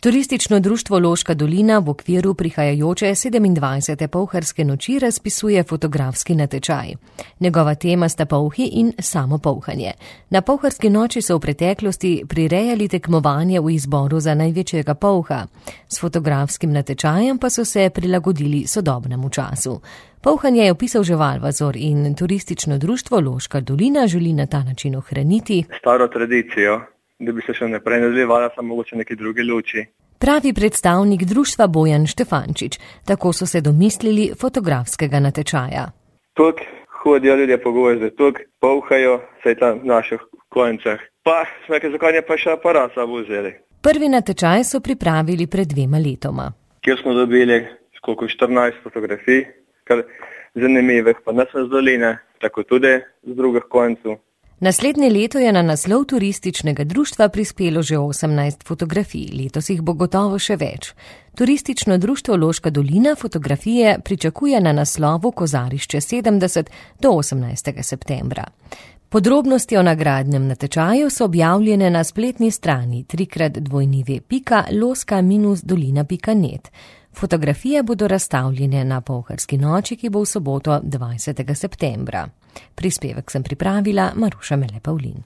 Turistično društvo Loška dolina v okviru prihajajoče 27. Polharske noči razpisuje fotografski natečaj. Njegova tema sta polhi in samo polhanje. Na Polharski noči so v preteklosti prirejali tekmovanje v izboru za največjega polha. S fotografskim natečajem pa so se prilagodili sodobnemu času. Polhanje je opisal že Valvazor in turistično društvo Loška dolina želi na ta način ohraniti staro tradicijo, da bi se še naprej nadaljevala samo mogoče neki drugi luči. Pravi predstavnik društva Bojan Štefančič. Tako so se domislili fotografskega natečaja. Tukaj hodijo ljudje pogovoriti, tukaj polhajo, saj tam v naših koncah. Pa smo rekli, zakaj ne pa še aparat sabo vzeli. Prvi natečaj so pripravili pred 2 letoma. Kjer smo dobili koliko 14 fotografij, kar zanimivih, pa ne samo z doline, tako tudi z drugih koncev. Naslednje leto je na naslov turističnega društva prispelo že 18 fotografij, letos jih bo gotovo še več. Turistično društvo Loška dolina fotografije pričakuje na naslovu Kozarišče 70 do 18. septembra. Podrobnosti o nagradnem natečaju so objavljene na spletni strani www.loska-dolina.net. Fotografije bodo razstavljene na Polharski noči, ki bo v soboto 20. septembra. Prispevek sem pripravila Maruša Mele Pavlin.